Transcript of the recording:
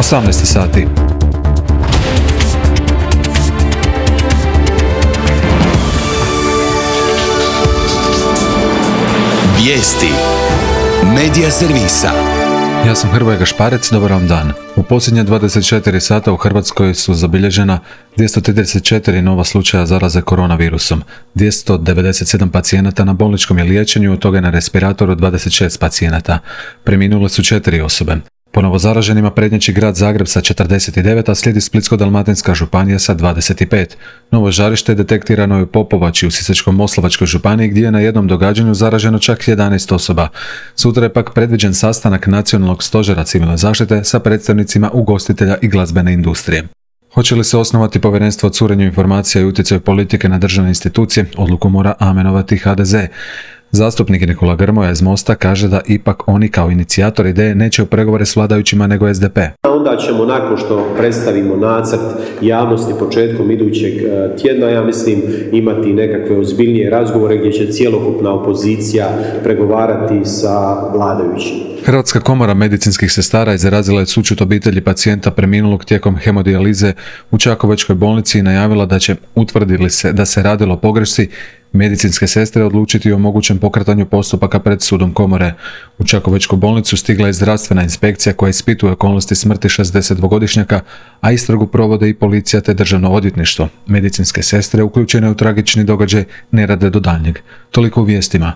18 sati. Vijesti Medija servisa. Ja sam Hrvoje Gašparec, dobar vam dan. U posljednje 24 sata u Hrvatskoj su zabilježena 234 nova slučaja zaraze koronavirusom. 297 pacijenata na bolničkom je liječenju, od toga je na respiratoru 26 pacijenata. Preminule su 4 osobe. Po novozaraženima prednjači grad Zagreb sa 49, a slijedi Splitsko-dalmatinska županija sa 25. Novo žarište detektirano je u Popovači u Sisačko-moslavačkoj županiji, gdje je na jednom događanju zaraženo čak 11 osoba. Sutra je pak predviđen sastanak Nacionalnog stožera civilne zaštite sa predstavnicima ugostitelja i glazbene industrije. Hoće li se osnovati povjerenstvo o curenju informacija i utjecaju politike na državne institucije, odluku mora amenovati HDZ. Zastupnik Nikola Grmoja iz Mosta kaže da ipak oni kao inicijator ideje neće u pregovore s vladajućima nego SDP. Onda ćemo nakon što predstavimo nacrt javnosti početkom idućeg tjedna, ja mislim, imati nekakve ozbiljnije razgovore gdje će cjelokupna opozicija pregovarati sa vladajućima. Hrvatska komora medicinskih sestara izrazila je sućut obitelji pacijenta preminulog tijekom hemodijalize u Čakovečkoj bolnici i najavila da će, utvrdili se da se radilo o pogrešci, medicinske sestre odlučiti o mogućem pokretanju postupaka pred sudom komore. U Čakovečku bolnicu stigla je zdravstvena inspekcija koja ispituje okolnosti smrti 62-godišnjaka, a istragu provode i policija te državno odvjetništvo. Medicinske sestre uključene u tragični događaj ne rade do daljnjeg. Toliko u vijestima.